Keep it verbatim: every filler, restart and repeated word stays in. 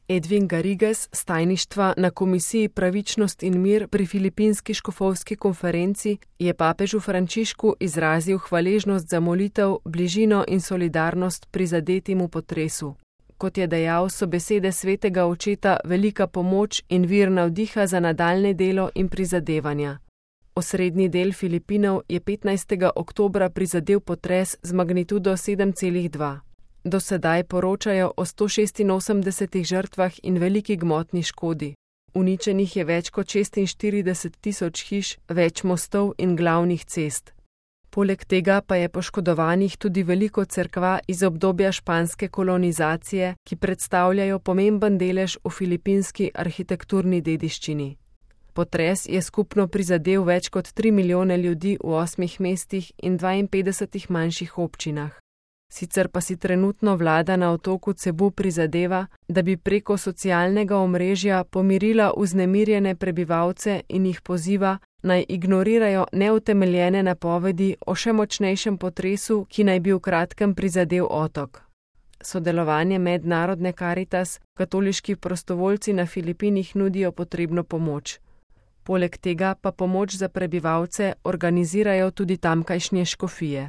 Edwin Garrigues s tajništva na Komisiji Pravičnost in mir pri Filipinski škofovski konferenci je papežu Frančišku izrazil hvaležnost za molitev, bližino in solidarnost prizadetim v potresu. Kot je dejal, so besede svetega očeta velika pomoč in vir navdiha za nadaljnje delo in prizadevanja. Osrednji del Filipinov je petnajstega oktobra prizadel potres z magnitudo sedem celih dva. Do sedaj poročajo o sto šestinosemdesetih žrtvah in veliki gmotni škodi. Uničenih je več kot šestinštirideset tisoč hiš, več mostov in glavnih cest. Poleg tega pa je poškodovanih tudi veliko cerkva iz obdobja španske kolonizacije, ki predstavljajo pomemben delež v filipinski arhitekturni dediščini. Potres je skupno prizadel več kot tri milijone ljudi v osmih mestih in dvainpetdesetih manjših občinah. Sicer pa si trenutno vlada na otoku Cebu prizadeva, da bi preko socialnega omrežja pomirila vznemirjene prebivalce in jih poziva, naj ignorirajo neutemeljene napovedi o še močnejšem potresu, ki naj bi v kratkem prizadel otok. Sodelovanje Mednarodne Karitas, katoliški prostovoljci na Filipinih nudijo potrebno pomoč. Poleg tega pa pomoč za prebivalce organizirajo tudi tamkajšnje škofije.